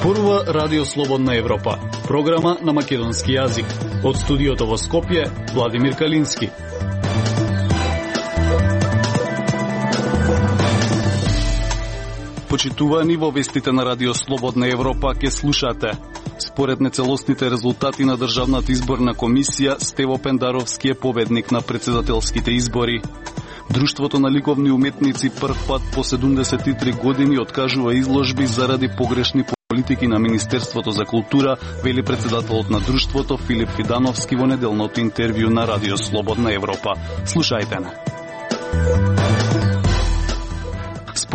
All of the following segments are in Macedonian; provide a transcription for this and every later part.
Зборува Радио Слободна Европа, програма на македонски јазик. Од студиото во Скопје, Владимир Калински. Почитувани, во вестите на Радио Слободна Европа ке слушате. Според нецелосните резултати на Државната изборна комисија, Стево Пендаровски е победник на председателските избори. Друштвото на ликовни уметници прв пат по 73 години откажува изложби заради погрешни политики на Министерството за култура, вели председателот на друштвото Филип Фидановски во неделното интервју на Радио Слободна Европа. Слушајте на.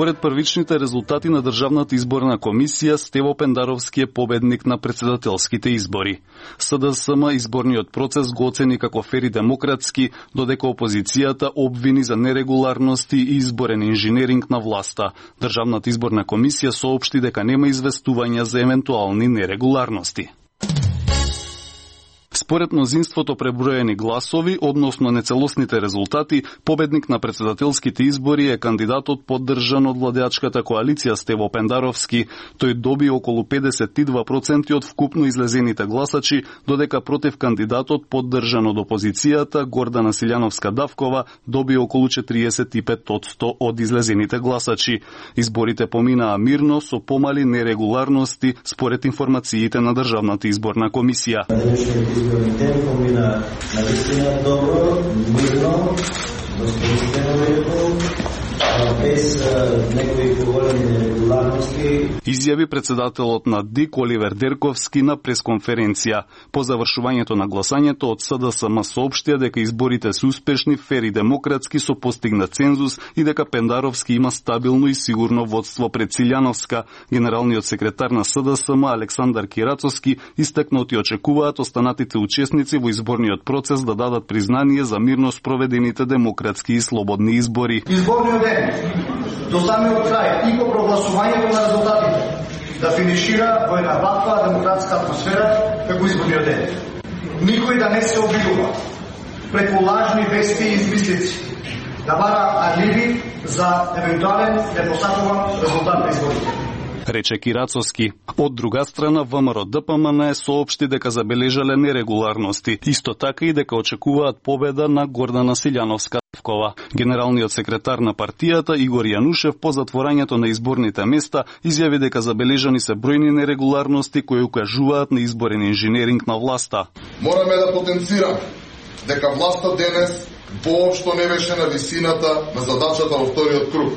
Според првичните резултати на Државната изборна комисија, Стево Пендаровски е победник на председателските избори. СДСМ изборниот процес го оцени како фер и демократски, додека опозицијата обвини за нерегуларности и изборен инженеринг на власта. Државната изборна комисија соопшти дека нема известувања за евентуални нерегуларности. Според мнозинството преброени гласови, односно нецелосните резултати, победник на председателските избори е кандидатот поддржан од владеачката коалиција Стево Пендаровски. Тој доби околу 52% од вкупно излезените гласачи, додека против кандидатот поддржан од опозицијата Гордана Силјановска-Давкова доби околу 45% од излезените гласачи. Изборите поминаа мирно со помали нерегуларности според информациите на Државната изборна комисија. Изборниот помина навистина добро, мирно, достоинствено, без некои поголеми нерегуларности. Изјави председателот на ДИК Оливер Дерковски на пресконференција. По завршувањето на гласањето од СДСМ соопштија дека изборите се успешни, фер и демократски со постигнат цензус и дека Пендаровски има стабилно и сигурно водство пред Силјановска. Генералниот секретар на СДСМ Александар Кирацовски истакнати очекуваат останатите учесници во изборниот процес да дадат признание за мирно спроведените демократски и слободни избори. Изборниот ден до самиот крај и по прогласувањето на резултатите да финишира во една ваква демократска атмосфера како изборниот ден. Никој да не се обидува преку лажни вести и измислици да бара алиби за евентуален непосакуван резултат на изборите, рече Кирацовски. Од друга страна, ВМРО-ДПМН соопшти дека забележале нерегуларности. Исто така и дека очекуваат победа на Гордана Силјановска-Давкова. Генералниот секретар на партијата Игор Јанушев по затворањето на изборните места изјави дека забележани се бројни нерегуларности кои укажуваат на изборен инженеринг на власта. Мораме да потенцираме дека власта денес воопшто не беше на висината на задачата во вториот круг.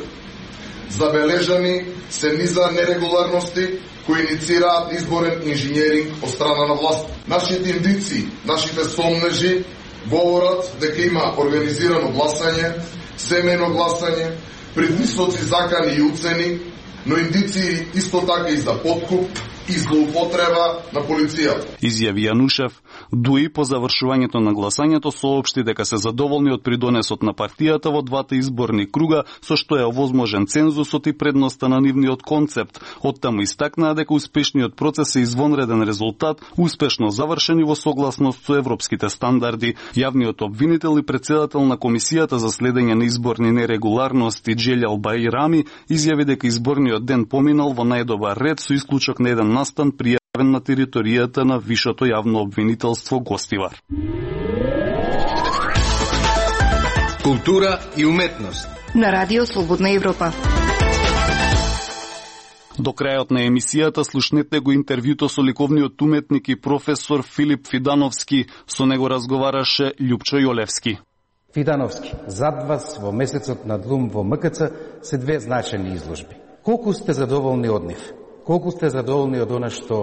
Забележани се низа нерегуларности кои иницираат изборен инженеринг од страна на власт. Нашите индици, нашите сомнежи говорат дека има организирано гласање, семејно гласање, предвисоци закани и уцени, но индици исто така и за подкуп и злоупотреба на полицијата. Изјави Јанушев. Дуи по завршувањето на гласањето соопшти дека се задоволни од придонесот на партијата во двата изборни круга, со што е овозможен цензусот и предноста на нивниот концепт. Оттаму истакнаа дека успешниот процес е извонреден резултат, успешно завршен и во согласност со европските стандарди. Јавниот обвинител и председател на Комисијата за следење на изборни нерегуларности Джелјал Бајрами изјави дека изборниот ден поминал во најдобар ред со исклучок на еден настан пријавен на територијата на Вишото јавно обвинителство Гостивар. Култура и уметност на Радио Слободна Европа. До крајот на емисијата слушнете го интервјуто со ликовниот уметник и професор Филип Фидановски. Со него разговараше Љупчо Јолевски. Фидановски, зад вас во месецот на длум во МКЦ се две значајни изложби. Колку сте задоволни од нив? Колку сте задоволни од она што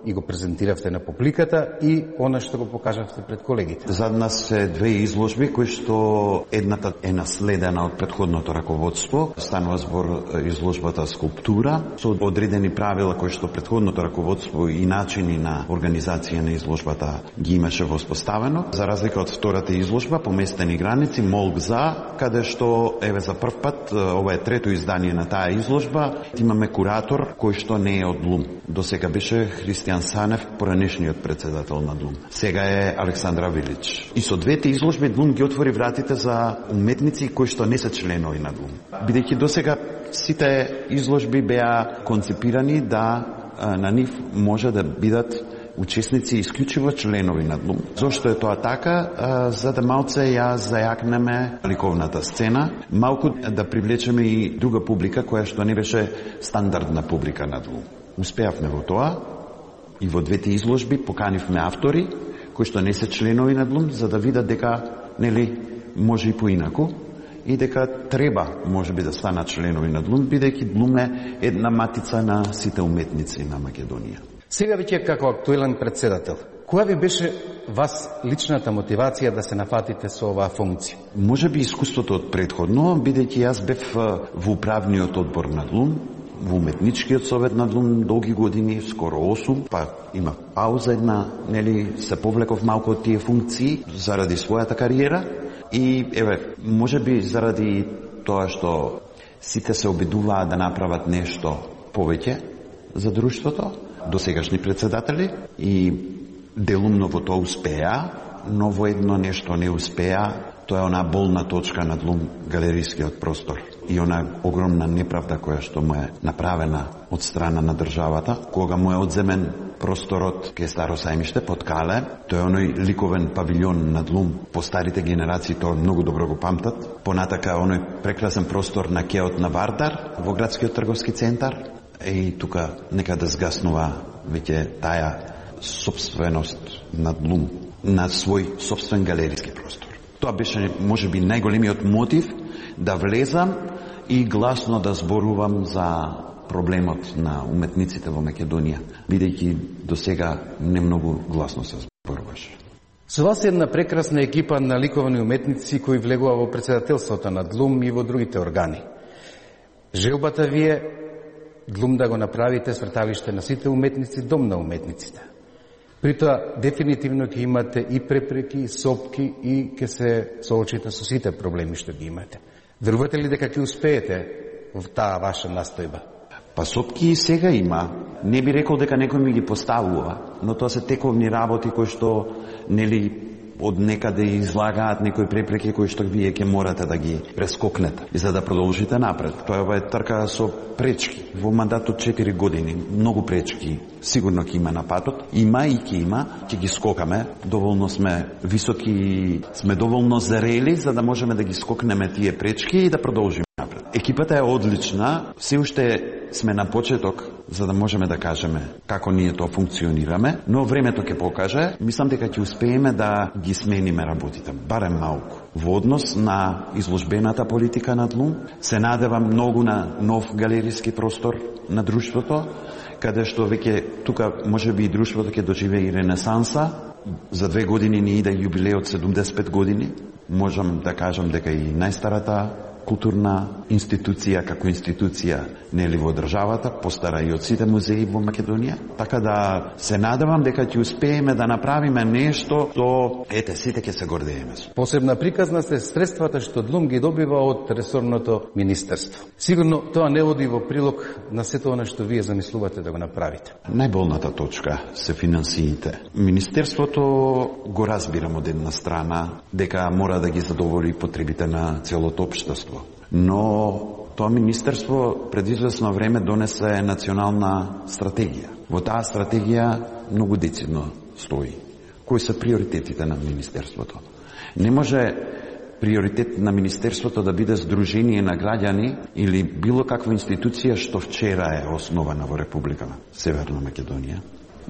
и го презентиравте на публиката и она што го покажавте пред колегите? Зад нас се две изложби кои што едната е наследена од претходното раководство. Станува збор изложбата Скулптура со одредени правила кои што претходното раководство и начини на организација на изложбата ги имаше воспоставено. За разлика од втората изложба Поместени граници, молк за, каде што еве за прв пат, ова е трето издание на таа изложба, имаме куратор кој што не е од ДЛУМ. До сега беше Христијан Санев, поранешниот председател на ДЛУМ. Сега е Александра Вилич. И со двете изложби ДЛУМ ги отвори вратите за уметници кои што не се членови на ДЛУМ. Бидејќи досега сите изложби беа концепирани да на нив може да бидат учесници исклучиво членови на ДЛУМ. Зошто е тоа така? За да малце ја зајакнеме ликовната сцена, малку да привлечеме и друга публика која што не беше стандардна публика на ДЛУМ. Успеавме во тоа и во двете изложби поканивме автори кои што не се членови на ДЛУМ за да видат дека нели може и поинаку и дека треба можеби да станат членови на ДЛУМ, бидејќи ДЛУМ е една матица на сите уметници на Македонија. Сега веќе како актуелен председател, која ви беше вас личната мотивација да се нафатите со оваа функција? Можеби искуството од предходно, бидејќи јас бев во управниот одбор на ДЛУМ, во уметничкиот совет на ДЛУМ долги години, скоро 8, па има пауза една, нели се повлеков малку од тие функции заради својата кариера и еве, можеби заради тоа што сите се обидуваат да направат нешто повеќе за друштвото, досегашни председатели и делумно во тоа успеа, но во едно нешто не успеа, тоа е она болна точка на ДЛУМ галерискиот простор и она огромна неправда која што му е направена од страна на државата, кога му е одземен просторот кај Старо сајмиште под Кале, тој е оној ликовен павилјон на ДЛУМ, по старите генерации тоа многу добро го памтат, понатака оној прекрасен простор на кеот на Вардар во градскиот трговски центар, и тука нека да згаснува веќе таа собственост на ДЛУМ, на свој собствен галериски простор. Тоа беше можеби најголемиот мотив да влезам и гласно да зборувам за проблемот на уметниците во Македонија, бидејќи до сега не многу гласно се зборуваше. Со вас е една прекрасна екипа на ликовни уметници кои влегува во председателството на ДЛУМ и во другите органи. Желбата ви е ДЛУМ да го направите сврталиште на сите уметници, дом на уметниците. При тоа, дефинитивно ќе имате и препреки, и сопки, и ќе се соочите со сите проблеми што ги имате. Верувате ли дека ќе успеете во таа ваша настојба? Па сопки и сега има. Не би рекол дека некој ми ги поставува, но тоа се тековни работи кои што, нели, од некаде излагаат некои препреки кои што вие ќе морате да ги прескокнете и за да продолжите напред. Тоа е трка со пречки. Во мандатот 4 години многу пречки сигурно ќе има на патот. Има и ќе има, ќе ги скокаме. Доволно сме високи, сме доволно зрели за да можеме да ги скокнеме тие пречки и да продолжиме напред. Екипата е одлична, се уште сме на почеток за да можеме да кажеме како ние тоа функционираме, но времето ќе покаже. Мислам дека ќе успееме да ги смениме работите, барем малку. Во однос на изложбената политика на ДЛУМ, се надевам многу на нов галериски простор на друштвото, каде што веќе тука можеби и друштвото ќе доживее и ренесанса. За 2 години ни иде јубилеј од 75 години. Можам да кажам дека и најстарата културна институција како институција нели во државата, постара и од сите музеи во Македонија. Така да се надевам дека ќе успееме да направиме нешто што ете сите ќе се гордееме. Посебна приказна се средствата што ДЛУМ ги добива од ресорното министерство. Сигурно тоа не оди во прилог на сето она што вие замислувате да го направите. Најболната точка се финансиите. Министерството го разбирам од една страна дека мора да ги задоволи потребите на целото општество. Но тоа министерство пред известно време донесе национална стратегија. Во таа стратегија многу децидно стои кои се приоритетите на министерството. Не може приоритет на министерството да биде здружение на граѓани или било каква институција што вчера е основана во Република Северна Македонија.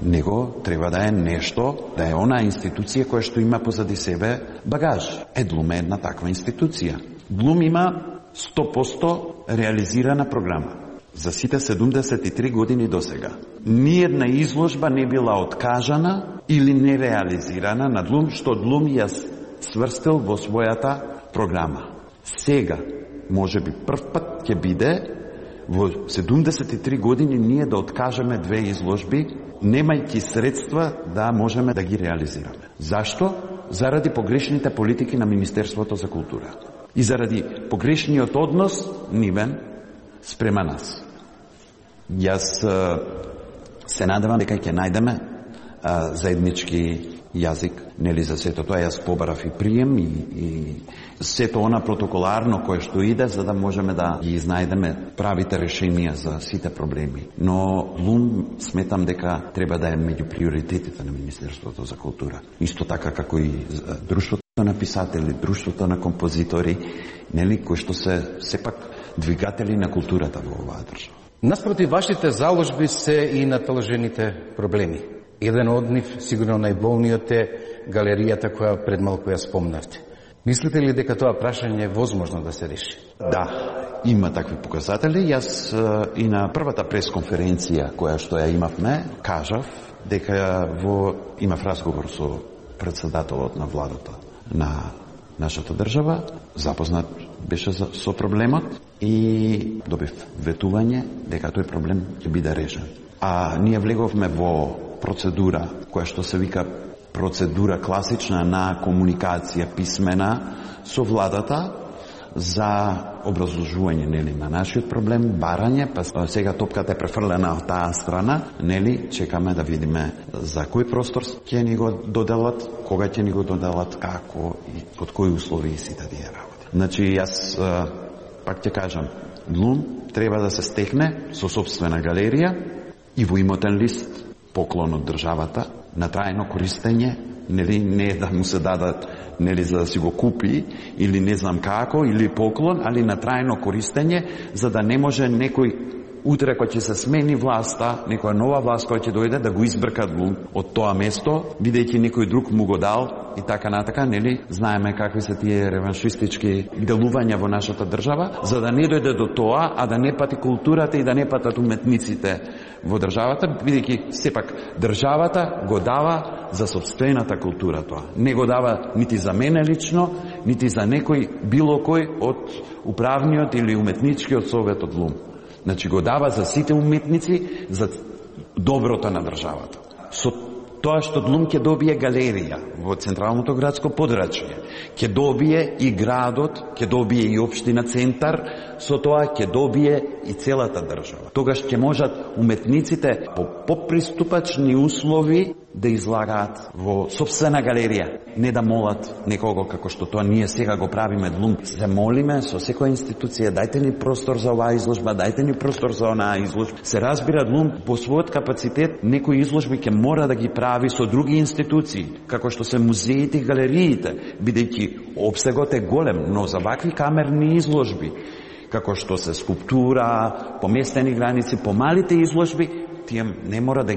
Него треба да е нешто, да е она институција која што има позади себе багаж. ДЛУМ е една таква институција. ДЛУМ има 100% реализирана програма за сите 73 години до сега. Ниедна изложба не била откажана или нереализирана на ДЛУМ, што ДЛУМ ја сврстил во својата програма. Сега, може би прв пат ќе биде во 73 години ние да откажеме 2 изложби, немајќи средства да можеме да ги реализираме. Зашто? Заради погрешните политики на Министерството за култура. И заради погрешниот однос нивен спрема нас. Јас се надевам дека ќе најдеме заеднички јазик, нели за сето тоа јас побарав и прием и сето она протоколарно кое што иде за да можеме да ги изнајдеме правите решенија за сите проблеми. Но ЛУМ сметам дека треба да е меѓу приоритетите на Министерството за култура. Исто така како и Друштвото на писатели, Друштвото на композитори, нели, кои што се сепак двигатели на културата во оваа држава. Наспроти вашите заложби се и наталжените проблеми. Еден од нив, сигурно најболниот е галеријата која пред малку ја спомнавте. Мислите ли дека тоа прашање е возможно да се реши? Да, има такви показатели. Јас и на првата пресконференција која што ја имавме, кажав дека имав разговор со председателот на владата на нашата држава, запознат беше со проблемот и добив ветување дека тој проблем ќе биде решен. А ние влеговме во процедура која што се вика процедура класична на комуникација писмена со владата за образложување, нели, на нашиот проблем, барање, па сега топката е префрлена од таа страна, нели, чекаме да видиме за кој простор ќе ни го доделат, кога ќе ни го доделат, како и под кои услови и сите тие работи. Значи, јас пак ќе кажам, ЛУМ треба да се стекне со сопствена галерија и во имотен лист поклон од државата на трајно користење, нели, не да му се дадат, нели, за да си го купи или не знам како, или поклон, али на трајно користење, за да не може некој утре кој ќе се смени власта, некоја нова власт која ќе дојде да го избркат од тоа место, бидејќи некој друг му го дал и така натака, нели, знаеме какви се тие реваншистички делувања во нашата држава, за да не дојде до тоа, а да не пати културата и да не патат уметниците во државата, бидејќи сепак државата го дава за сопствената култура тоа. Не го дава нити за мене лично, нити за некој било кој од управниот или уметничкиот совет од ЛУМ. Значи го дава за сите уметници, за доброто на државата. Со тоа што ЛУМ ќе добие галерија во централното градско подрачје, ќе добие и градот, ќе добие и општина центар, со тоа ќе добие и целата држава. Тогаш ќе можат уметниците по поприступачни услови да излагаат во сопствена галерија, не да молат некого како што тоа ние сега го правиме ЛУМ. Се молиме со секоја институција, дајте ни простор за оваа изложба, дајте ни простор за онаа изложба. Се разбира ЛУМ по својот капацитет некои изложби ќе мора да ги прави со други институции, како што се музеите и галериите, бидејќи опсегот е голем, но за вакви камерни изложби, како што се скулптура, поместени граници, помалите изложби, тие не мора да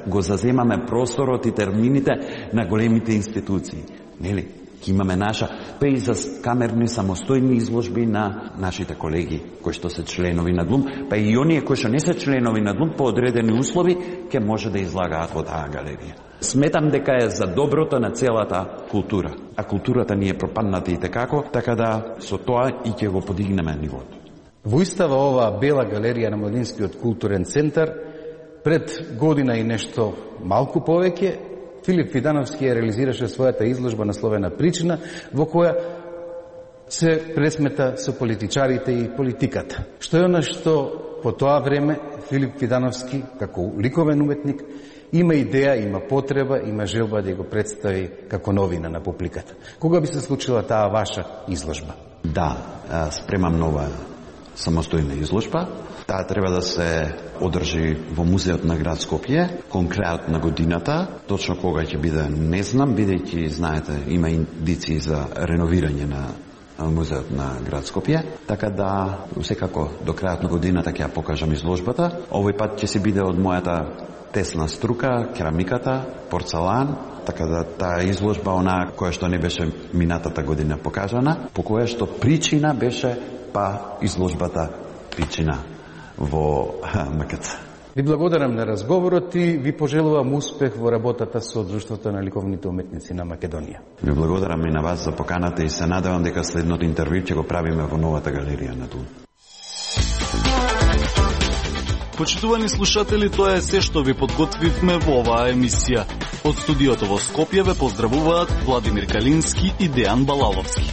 го заземаме просторот и термините на големите институции. Нели? Ки имаме наша, па и за камерни самостојни изложби на нашите колеги, кои што се членови на ЛУМ, па и оние кои што не се членови на ЛУМ, по одредени услови, ќе може да излагаат во таа галерија. Сметам дека е за доброто на целата култура. А културата ни е пропадната и текако, така да со тоа и ќе го подигнеме нивото. Во истава оваа бела галерија на Младинскиот културен центар, пред година и нешто малку повеќе, Филип Видановски ја реализираше својата изложба насловена Причина, во која се пресмета со политичарите и политиката. Што е она што по тоа време Филип Видановски, како ликовен уметник, има идеја, има потреба, има желба да го представи како новина на публиката. Кога би се случила таа ваша изложба? Да, спремам нова самостојна изложба. Таа треба да се одржи во музеот на град Скопје, конкретно на годината. Точно кога ќе биде не знам, бидејќи, знаете, има индиции за реновирање на музеот на град Скопје, така да секако до крајот на годината ќе ја покажам изложбата. Овој пат ќе се биде од мојата тесна струка, керамиката, порцелан, така да таа изложба, онаа која што не беше минатата година покажана, по која што причина беше па изложбата Причина во МКЦ. Ви благодарам на разговорот и ви пожелувам успех во работата со Друштвото на ликовните уметници на Македонија. Ви благодарам и на вас за поканата и се надевам дека следното интервју ќе го правиме во новата галерија на ЛУМ. Почитувани слушатели, тоа е се што ви подготвивме во оваа емисија. Од студиото во Скопје ве поздравуваат Владимир Калински и Дејан Балаловски.